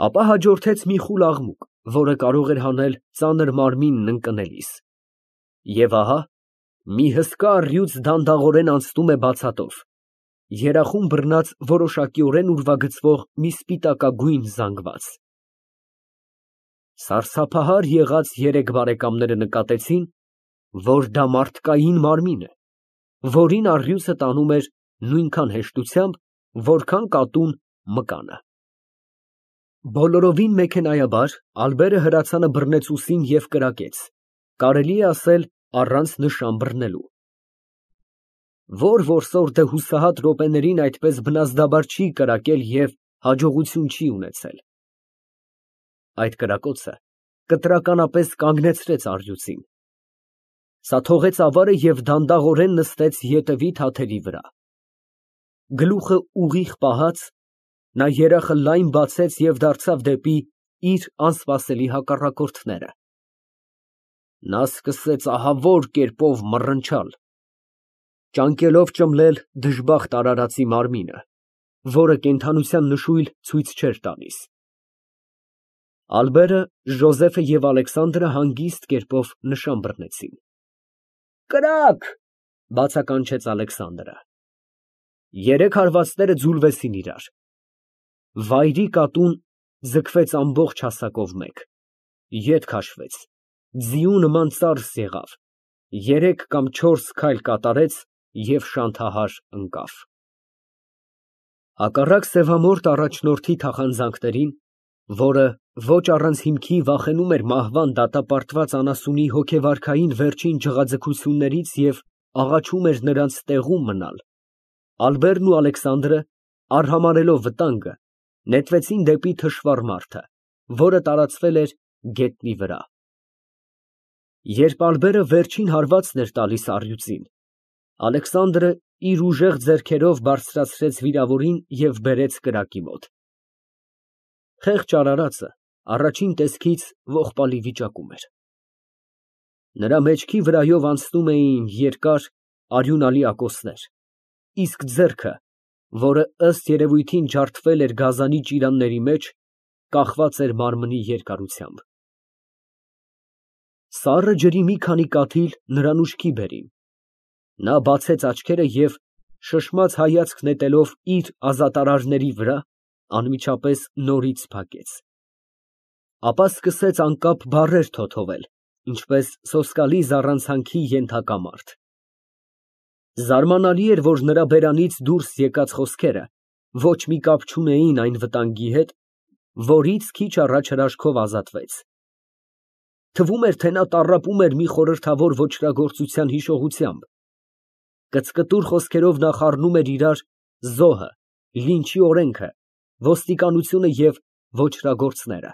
Ապա հաջորդեց մի խուլ աղմուկ, որը կարող էր հանել ծանր մարմինն ընկնելիս, և ահա մի հսկա առյուծ դանդաղորեն անցնում է բացատով, երախում բռնած որոշակիորեն ուրվագծվող մի սպիտակագույն զանգված։ Սարսափահար եղած երեք բարեկամները նկատեցին, որ դա մարդկային մարմին է, որին առյուծը տանում էր նույնքան հեշտությամբ, որքան կատուն մկանը։ Բոլորովին մեքենայաբար Ալբերը հրացանը բռնեց ուսին և կրակեց, կարելի է ասել առանց նշան բռնելու։ Որ որսորդը հուսահատ րոպեներին այդպես բնազդաբար չի կրակել և հաջողություն չի ունեցել։ Այդ կրակոցը կտրականապես կանգնեցրեց առյուծին։ Սա թողեց ավարը և դանդաղորեն նստեց ետևի թաթերի վրա։ Գլուխը ուղիղ պահած, նա երախը լայն բացեց և դարձավ դեպի իր անսպասելի հակառակորդները։ Նա սկսեց ահավոր կերպով մռնչալ, ճանկելով ճմլել դժբախտ արարածի մարմինը, որը կենդանության նշույլ ցույց չէր տալիս։ Ալբերը, Ժոզեֆը և Ալեքսանդրը հանգիստ կերպով նշան բռնեցին։ «Կրակ», բացականչեց Ալեքսանդրը։ Երեք հարվածները ձուլվեցին իրար։ Վայրի կատուն ձգվեց ամբողջ հասակով մեկ, ետ քաշվեց, ձիու նման ծարս եղավ, երեք կամ չորս քայլ կատարեց և շանթահար ընկավ։ Հակառակ սևամորթ առաջնորդի թախանձանքներին, որը ոչ առանց հիմքի վախենում էր մահվան դատապարտված անասունի հոգեվարքային վերջին ջղաձգություններից և աղաչում էր նրանց տեղում մնալ, Ալբերն ու Ալեքսանդրը, արհամարհելով վտանգը, նետվեցին դեպի թշվառ մարդը, որը տարածվել էր գետնի վրա։ Երբ Ալբերը վերջին հարվածն էր տալիս առյուծին, Ալեքսանդրը իր ուժեղ ձեռքերով բարձրացրեց վիրավորին և բերեց կրակի մոտ։ Խեղճ արարածը առաջին տեսքից ողբալի վիճակում էր։ Նրա մեջքի վրայով անցնում էին երկար, արյունալի ակոսներ, իսկ ձեռքը, որը ըստ երևույթին ջարդվել էր գազանի ճիրանների մեջ, կախված էր մարմնի երկարությամբ։ Սառը ջրի մի քանի կաթիլ նրան ուշքի բերին։ Նա բացեց աչքերը և, շշմած հայացք նետելով իր ազատարարների վրա, անմիջապես նորից փակեց։ Ապա սկսեց անկապ բառեր թոթովել, ինչպես սոսկալի զառանցանքի ենթակա մարդ։ Զարմանալի էր, որ նրա բերանից դուրս եկած խոսքերը ոչ մի կապ չունեին այն վտանգի հետ, որից քիչ առաջ հրաշքով ազատվեց։ Թվում էր, թե նա տառապում էր մի խորհրդավոր ոճրագործության հիշողությամբ։ Կծկտուր խոսքերով նա խառնում էր իրար զոհը, լինչի օրենքը, ոստիկանությունը և ոճրագործները։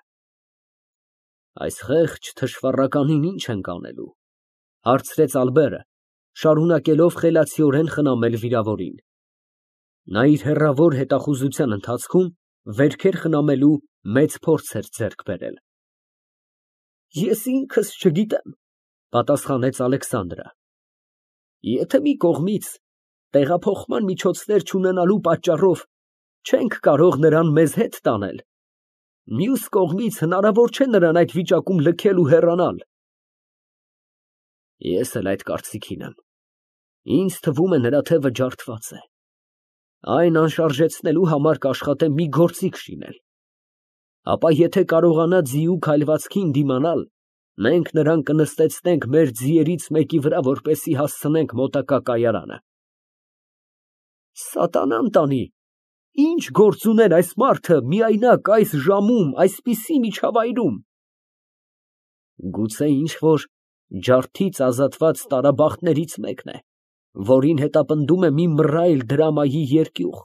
Այս խեղճ թշվառականին ի՞նչ ենք անելու, ֊ հարցրեց Ալբերը, շարունակելով խելացիորեն խնամել վիրավորին։ Նա իր հեռավոր հետախուզության ընթացքում վերքեր խնամելու մեծ փորձ էր ձեռք բերել։ Ես ինքս չգիտեմ, ֊ պատասխանեց Ալեքսանդրը։ Եթե մի կողմից տեղափոխման միջոցներ չունենալու պատճառով չենք կարող նրան մեզ հետ տանել, մյուս կողմից հնարավոր չէ նրան այդ վիճակում լքել ու հեռանալ։ Ես էլ այդ կարծիքին եմ։ Ինձ թվում է, նրա թևը ջարդված է։ Այն անշարժեցնելու համար կաշխատեմ մի գործիք շինել։ Ապա եթե կարողանա ձիու քայլվածքին դիմանալ, մենք նրան կնստեցնենք մեր ձիերից մեկի վրա, որպեսզի հասցնենք մոտակա կայարանը։ Սատանան տանի, ինչ գործ ուներ այս մարդը միայնակ այս ժամում, այսպիսի միջավայրում։ Գուցե ինչ֊որ ջարդից ազատված տարաբախտներից մեկն է, որին հետապնդում է մի մռայլ դրամայի երկյուղ։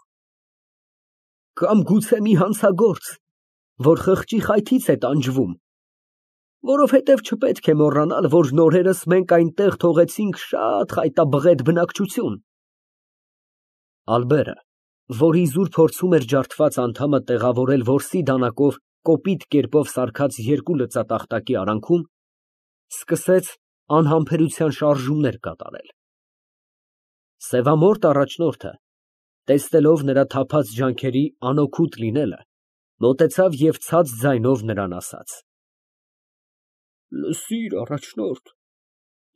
Կամ գուցե մի հանցագործ, որ խղճի խայթից է տանջվում, որովհետև չպետք է մոռանալ, որ նորերս մենք այնտեղ թողեցինք շատ խայտաբղետ բնակչություն։ Ալբերը, որ իզուր փորձում էր ջարդված անդամը տեղավորել որսի դանակով կոպիտ կերպով սարքած երկու լծատախտակի արանքում, սկսեց անհամբերության շարժումներ կատարել։ Սևամորթ առաջնորդը, տեսնելով նրա թափած ջանքերի անօգուտ լինելը, Մոտեցավ և ցած ձայնով նրան ասաց. Լսիր, առաջնորդ,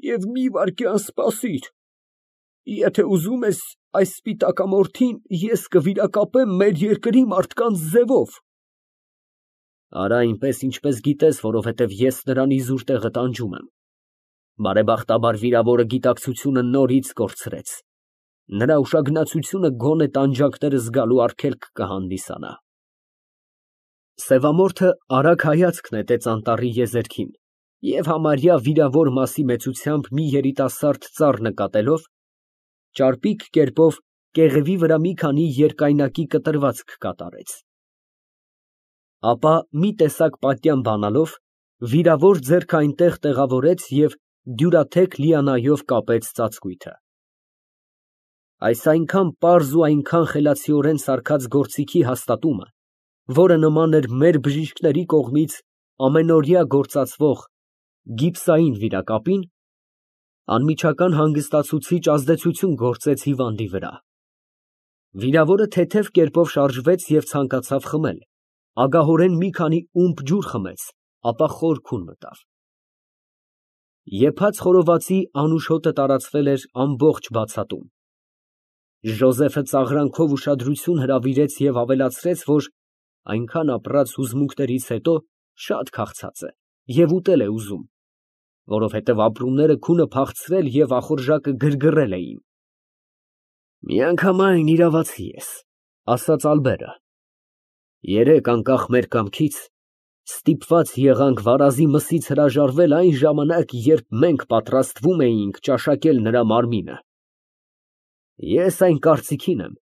և մի վայրկյան սպասիր, եթե ուզում ես այս սպիտակամորթին ես կվիրակապեմ մեր երկրի մարդկանց ձևով։ Արա այնպես, ինչպես գիտես, որովհետև ես նրան իզուր տեղը տանջում եմ։ Բարեբախտաբար վիրավորը գիտակցությունը նորից կորցրեց, նրա ուշագնացությունը գոնե տանջանքները զգալու արգելք կհանդիսանա։ Սևամորթը արագ հայացք նետեց անտառի եզերքին և համարյա վիրավոր մասի մեծությամբ մի երիտասարդ ծառ նկատելով, ճարպիկ կերպով կեղևի վրա մի քանի երկայնակի կտրվածք կատարեց։ Ապա մի տեսակ պատյան բանալով վիրավոր ձեռքը այնտեղ տեղավորեց և դյուրաթեք լիանայով կապեց ծածկույթը։ Այս այնքան պարզ ու այնքան խելացիորեն սարքած գործիքի հաստատումը, որը նման էր մեր բժիշկների կողմից ամենօրյա գործածվող գիպսային վիրակապին, անմիջական հանգստացուցիչ ազդեցություն գործեց հիվանդի վրա։ Վիրավորը թեթև կերպով շարժվեց և ցանկացավ խմել, ագահորեն մի քանի ումպ ջուր խմեց, ապա խոր քուն մտավ։ Եփած խորովածի անուշ հոտը տարածվել էր ամբողջ բացատում։ Ժոզեֆը ծաղրանքով ուշադրություն հրավիրեց և ավելացրեց, որ այնքան ապրած հուզմունքներից հետո շատ քաղցած է և ուտել է ուզում, որովհետև ապրումները քունը փախցրել և ախորժակը գրգռել էին։ Միանգամայն իրավացի ես, ասաց Ալբերը։ Երեկ անկախ մեր կամքից ստիպված եղանք վարազի մսից հրաժարվել այն ժամանակ, երբ մենք պատրաստվում էինք ճաշակել նրա մարմինը։ Ես այն կարծիքին եմ,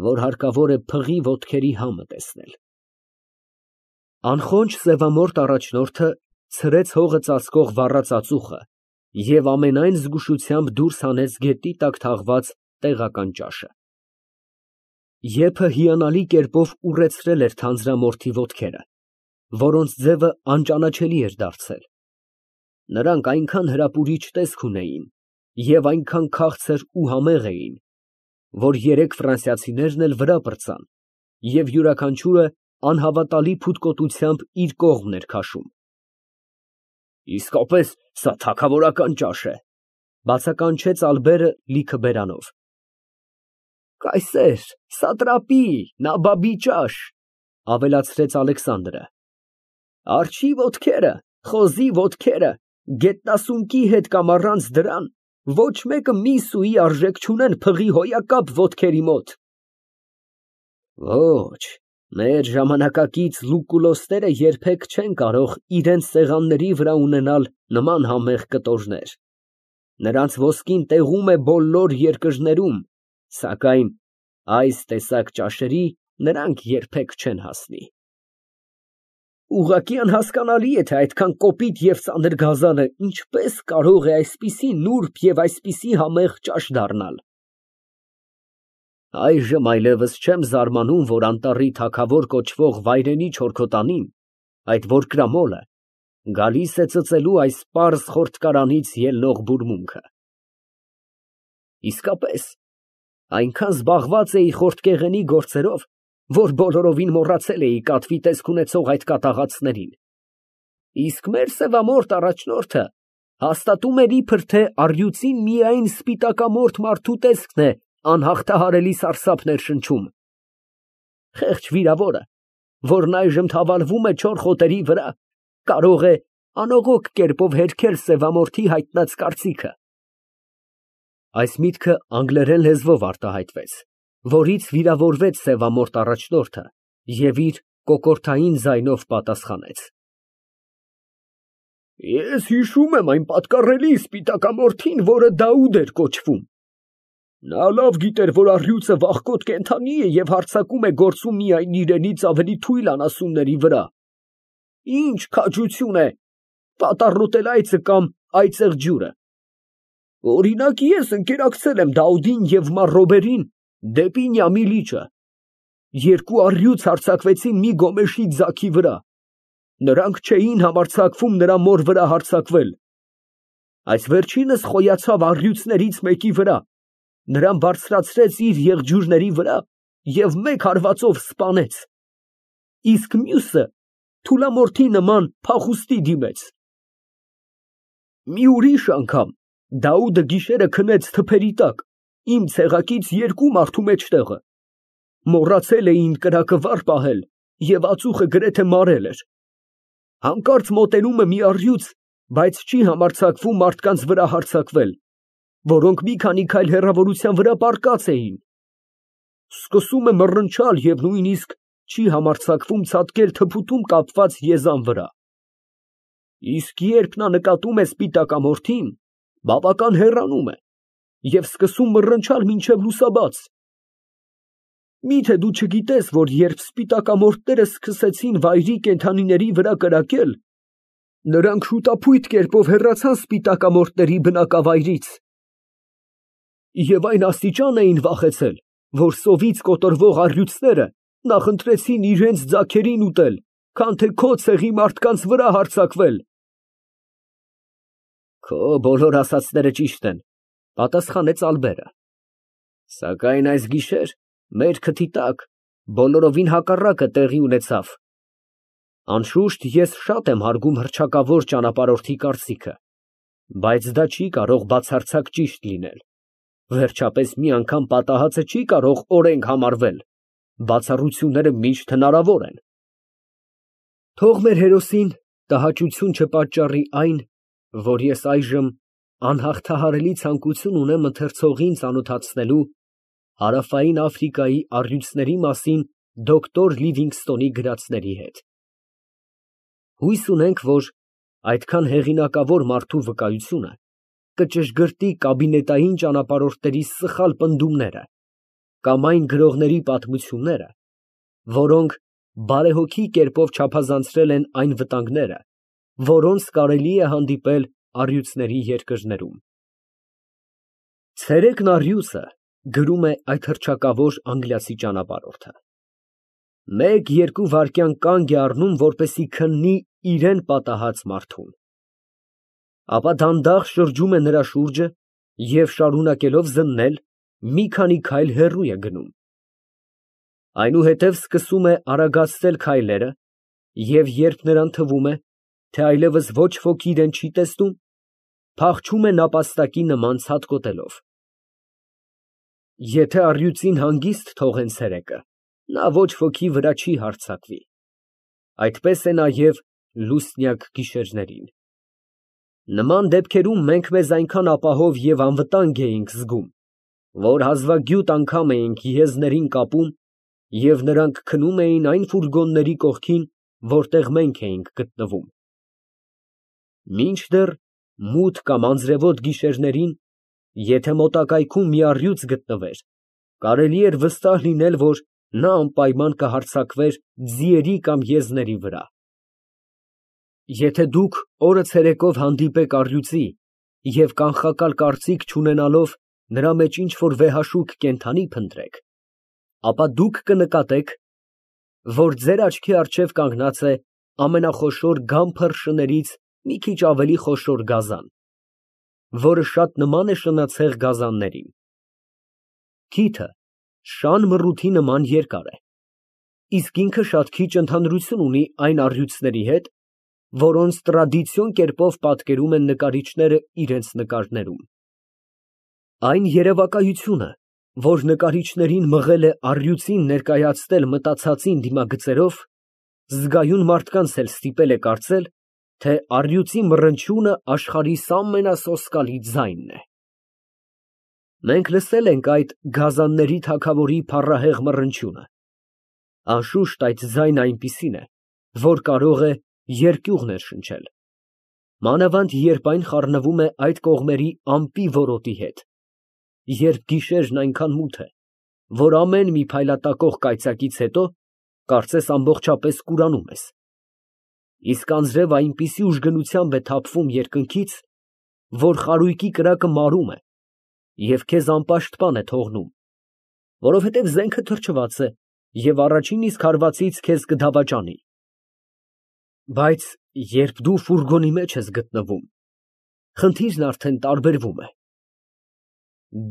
որ հարկավոր է փղի ոտքերի համը տեսնել։ Անխոնջ սևամորթ առաջնորդը ցրեց հողը ծածկող վառած ածուխը և ամենայն զգուշությամբ դուրս հանեց գետնի տակ թաղված տեղական ճաշը։ Եփը հիանալի կերպով ուռեցրել էր թանձրամորթի ոտքերը, որոնց ձևը անճանաչելի էր դարձել։ Նրանք այնքան հրապուրիչ տեսք ունեին և այնքան քաղցր ու համեղ էին, որ երեք ֆրանսիացիներն էլ վրա պրծան և յուրաքանչյուրը անհավատալի փութկոտությամբ իր կողմն էր քաշում։ Իսկապես սա թագավորական ճաշ է, բացականչեց Ալբերը լիքը բերանով։ Կայսեր, սատրապի, նաբաբի ճաշ, ավելացրեց Ալեքսանդրը։ Արջի ոտքերը, խոզի ոտքերը, գետնասունկի հետ կամ առանց դրան, ոչ մեկը մի սուի արժեք չունեն փղի հոյակապ ոտքերի մոտ։ Ոչ, մեր ժամանակակից լուկուլոսները երբեք չեն կարող իրենց սեղանների վրա ունենալ նման համեղ կտորներ։ Նրանց ոսկին տեղում է բոլոր երկրներում, սակայն այս տեսակ ճաշերի նրանք երբեք չեն հասնի։ Ուղղակի անհասկանալի է, թե այդքան կոպիտ և ծանր գազանը ինչպես կարող է այսպիսի նուրբ և այսպիսի համեղ ճաշ դառնալ։ Այժմ այլևս չեմ զարմանում, որ անտառի թագավոր կոչվող վայրենի չորքոտանին, այդ որկրամոլը, գալիս է ծծելու այս պարզ խորտկարանից ելնող բուրմունքը։ Իսկապես, այնքան զբաղված էի խորտկեղենի գործերով, որ բոլորովին մոռացել էի կատվի տեսք ունեցող այդ կատաղածներին։ Իսկ մեր սևամորթ առաջնորդը հաստատում էր իբր թե առյուծին միայն սպիտակամորթ մարդու տեսքն է անհաղթահարելի սարսափներ շնչում։ Խեղճ վիրավորը, որն այժմ թավալվում է չոր խոտերի վրա, կարող է անողոք կերպով հերքել սևամորթի հայտնած կարծիքը։ Այս միտքը անգլերեն լեզվով արտահայտվեց, որից վիրավորվեց սևամորթ առաջնորդը և իր կոկորդային ձայնով պատասխանեց. Ես հիշում եմ այն պատկառելի սպիտակամորթին, որը Դաուդ էր կոչվում։ Նա լավ գիտեր, որ առյուծը վախկոտ կենդանի է և հարձակում է գործում միայն իրենից ավելի թույլ անասունների վրա։ Ինչ քաջություն է պատառոտել այծը կամ այծեղ ջուրը։ Օրինակ, ես ընկերակցել եմ Դաուդին և մար Ռոբերին դեպի Նյամի լիճը։ Երկու առյուծ հարձակվեցին մի գոմեշի ձագի վրա։ Նրանք չէին համարձակվում նրա մոր վրա հարձակվել։ Այս վերջինս խոյացավ առյուծներից մեկի վրա, նրան բարձրացրեց իր եղջյուրների վրա և մեկ հարվածով սպանեց։ իսկ մյուսը թուլամորթի նման փախուստի դիմեց։ Մի ուրիշ անգամ Դաուդը գիշերը քնեց թփերի տակ, իմ ցեղակից երկու մարդու մեջտեղը։ Մոռացել էին կրակը վար պահել և ածուխը գրեթե մարել էր։ Հանկարծ մոտենում է մի առյուծ, բայց չի համարձակվում մարդկանց վրա հարձակվել, որոնք մի քանի քայլ հեռավորության վրա պառկած էին։ Սկսում է մռնչալ և նույնիսկ չի համարձակվում ցատկել թփուտում կապված եզան վրա։ Իսկ երբ նա նկատում է սպիտակամորթին, բավական հեռանում է և սկսում մռնչալ մինչև լուսաբաց։ Մի՞թե դու չգիտես, որ երբ սպիտակամորթները սկսեցին վայրի կենդանիների վրա կրակել, նրանք շուտափույթ կերպով հեռացան սպիտակամորթների բնակավայրից և այն աստիճան էին վախեցել, որ սովից կոտորվող առյուծները նախընտրեցին իրենց ձագերին ուտել, քան թե քո ցեղի մարդկանց վրա հարձակվել։ Քո բոլոր ասածները ճիշտ են, պատասխանեց Ալբերը, սակայն այս գիշեր մեր քթի տակ բոլորովին հակառակը տեղի ունեցավ։ Անշուշտ ես շատ եմ հարգում հռչակավոր ճանապարհորդի կարծիքը, բայց դա չի կարող բացարձակ ճիշտ լինել։ Վերջապես մի անգամ պատահածը չի կարող օրենք համարվել, բացառությունները միշտ հնարավոր են։ Թող մեր հերոսին տհաճություն չպատճառի այն, որ ես այժմ անհաղթահարելի ցանկություն ունեմ ընթերցողին ծանոթացնելու Հարավային Աֆրիկայի առյուծների մասին դոկտոր Լիվինգստոնի գրածների հետ։ Հույս ունենք, որ այդքան հեղինակավոր մարդու վկայությունը կճշգրտի կաբինետային ճանապարհորդների սխալ պնդումները կամ այն գրողների պատմությունները, որոնք բարեհոգի կերպով չափազանցրել են այն վտանգները, որոնց կարելի է հանդիպել առյուծների երկրներում։ Ցերեկն առյուծը, գրում է այդ հռչակավոր անգլիացի ճանապարհորդը, 1-2 վայրկյան կանգ է առնում, որպեսզի քննի իրան պատահած մարդուն, ապա դանդաղ շրջում է նրա շուրջը և շարունակելով զննել, մի քանի քայլ հեռու է գնում։ Այնուհետև սկսում է արագացնել քայլերը և երբ նրան թվում է, թե այլևս ոչ ոք իրան չի տեսնում, փախչում է նապաստակի նման ցատկոտելով։ Եթե առյուծին հանգիստ թողեն ցերեկը, նա ոչ ոքի վրա չի հարձակվի։ Այդպես է նաև լուսնյակ գիշերներին։ Նման դեպքերում մենք մեզ այնքան ապահով և անվտանգ էինք զգում, որ հազվագյուտ անգամ էինք եզներին կապում և նրանք քնում էին այն ֆուրգոնների կողքին, որտեղ մենք էինք գտնվում։ Մինչդեռ մութ կամ անձրևոտ գիշերներին, եթե մոտակայքում մի առյուծ գտնվեր, կարելի էր վստահ լինել, որ նա անպայման կհարձակվեր ձիերի կամ եզների վրա։ Եթե դուք օրը ցերեկով հանդիպեք առյուծի և կանխակալ կարծիք չունենալով նրա մեջ ինչ֊որ վեհաշուկ կենդանի փնտրեք, ապա դուք կնկատեք, որ ձեր աչքի առջև կանգնած է ամենախոշոր գամփր շներից մի քիչ ավելի խոշոր գազան, որը շատ նման է շնացեղ գազաններին։ Քիթը շան մռութի նման երկար է, իսկ ինքը շատ քիչ ընդհանրություն ունի այն առյուծների հետ, որոնց տրադիցիոն կերպով պատկերում են նկարիչները իրենց նկարներում։ Այն երևակայությունը, որ նկարիչներին մղել է առյուծին ներկայացնել մտածածին դիմագծերով, զգայուն մարդկանց էլ ստիպել է կարծել, թե առյուծի մռնչյունը աշխարհիս ամենասոսկալի ձայնն է։ Մենք լսել ենք այդ գազանների թագավորի փառահեղ մռնչյունը։ Անշուշտ այդ ձայնը այնպիսին է, որ կարող է երկյուղ ներշնչել, մանավանդ երբ այն խառնվում է այդ կողմերի ամպի որոտի հետ, երբ գիշերն այնքան մութ է, որ ամեն մի փայլատակող կայծակից հետո կարծես ամբողջապես կուրանում ես, իսկ անձրևը այնպիսի ուժգնությամբ է թափվում երկնքից, որ խարույկի կրակը մարում է և քեզ անպաշտպան է թողնում, որովհետև զենքը թրջված է և առաջին իսկ հարվածից քեզ կդավաճանի։ Բայց երբ դու ֆուրգոնի մեջ ես գտնվում, խնդիրն արդեն տարբերվում է։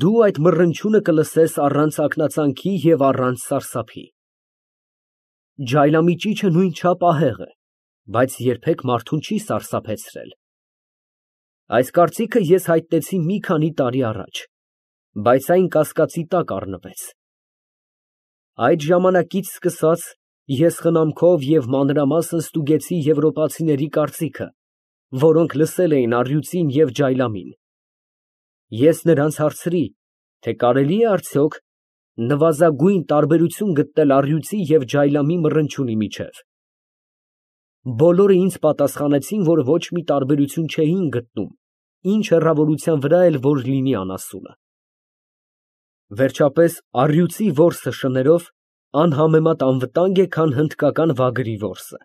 Դու այդ մռնչյունը կլսես առանց ակնածանքի և առանց սարսափի։ Ջայլամի ճիչը նույնչափ ահեղ է, բայց երբեք մարդուն չի սարսափեցրել։ Այս կարծիքը ես հայտնեցի մի քանի տարի առաջ, բայց այն կասկածի տակ առնվեց։ Այդ ժամանակից սկսած ես խնամքով և մանրամասն ստուգեցի եվրոպացիների կարծիքը, որոնք լսել էին առյուծին և ջայլամին։ Ես նրանց հարցրի, թե կարելի է արդյոք նվազագույն տարբերություն գտնել առյուծի և ջայլամի մռնչյունի միջև։ Բոլորը ինձ պատասխանեցին, որ ոչ մի տարբերություն չէին գտնում, ինչ հեռավորության վրա էլ որ լինի անասունը։ Վերջապես առյուծի որսը շներով անհամեմատ անվտանգ է, քան հնդկական վագրի որսը։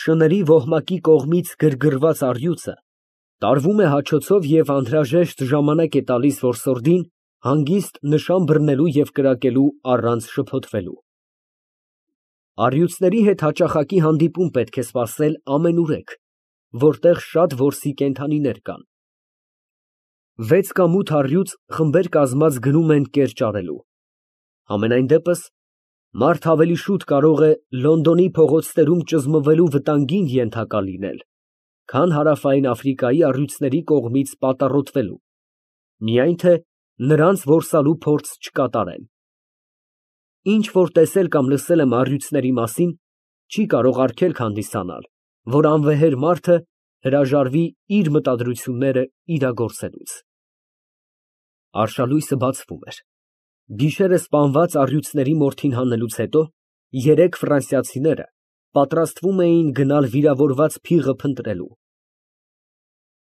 Շների ոհմակի կողմից գրգռված առյուծը տարվում է հաչոցով և անհրաժեշտ ժամանակ է տալիս որսորդին հանգիստ նշան բռնելու և կրակելու առանց շփոթվելու։ Առյուծների հետ հաճախակի հանդիպում պետք է սպասել ամենուրեք, որտեղ շատ որսի կենդանիներ կան։ 6 կամ 8 առյուծ խմբեր կազմած գնում են կերճարելու։ Համենայն դեպս, մարդ ավելի շուտ կարող է Լոնդոնի փողոցներում ճզմվելու վտանգին ենթակա լինել, քան Հարավային Աֆրիկայի առյուծների կողմից պատառոտվելու, միայն թե նրանց որսալու փորձ չկատարեն։ Ինչ որ տեսել կամ լսել եմ առյուծների մասին, չի կարող արգելք հանդիսանալ, որ անվեհեր մարդը հրաժարվի իր մտադրությունները իրագործելուց։ Արշալույսը բացվում էր։ Գիշերը սպանված առյուծների մորթին հանելուց հետո երեք ֆրանսիացիները պատրաստվում էին գնալ վիրավորված փիղը փնտրելու։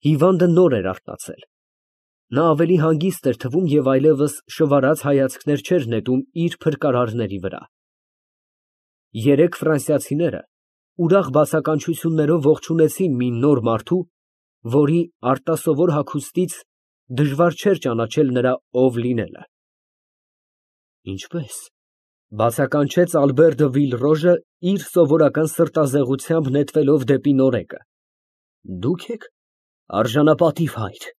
Հիվանդը նոր էր արթնացել։ Նա ավելի հանգիստ էր թվում և այլևս շվարած հայացքներ չէր նետում իր փրկարարների վրա։ Երեք ֆրանսիացիները ուրախ բացականչություններով ողջունեցին մի նոր մարդու, որի արտասովոր հագուստից դժվար չէր ճանաչել նրա ով լինելը։ Ինչպե՞ս, ֊ բացականչեց Ալբեր Վիլռոժը իր սովորական սրտազեղությամբ նետվելով դեպի նորեկը։ Դուք եք, արժանապատիվ հայր։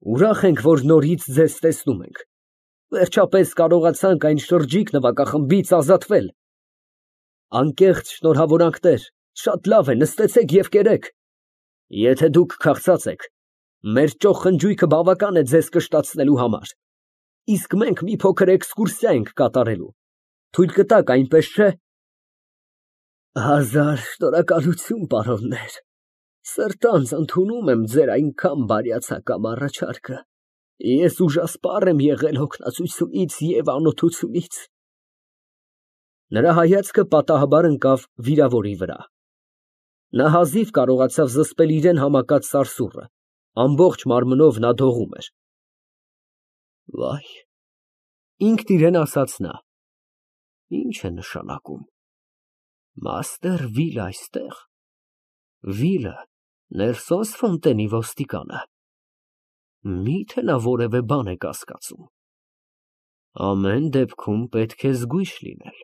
Ուրախ ենք, որ նորից ձեզ տեսնում ենք։ Վերջապես կարողացանք այն շրջիկ նվագախմբից ազատվել։ Անկեղծ շնորհավորանքներ, շատ լավ է, նստեցեք և կերեք։ Եթե դուք քաղցած եք, մեր ճոխ խնջույքը բավական է ձեզ կշտացնելու համար, իսկ մենք մի փոքր էքսկուրսիա ենք կատարելու, թույլ կտաք, այնպես չէ։ Հազար շնորհակալություն, պարոններ, սրտանց ընդունում եմ ձեր այնքան բարյացակամ առաջարկը, ես ուժասպառ եմ եղել հոգնածությունից և անօթությունից։ Նրա հայացքը պատահաբար ընկավ վիրավորի վրա։ Նա հազիվ կարողացավ զսպել իրան համակած սարսուռը, ամբողջ մարմնով նա դողում էր։ Վայ, ինքն իրան ասաց նա, ինչ է նշանակում, մաստեր Վիլը այստեղ, Վիլը Նելսոն Ֆոնտենի ոստիկանը, մի՞թե նա որևէ բան է կասկածում։ Ամեն դեպքում պետք է զգույշ լինել։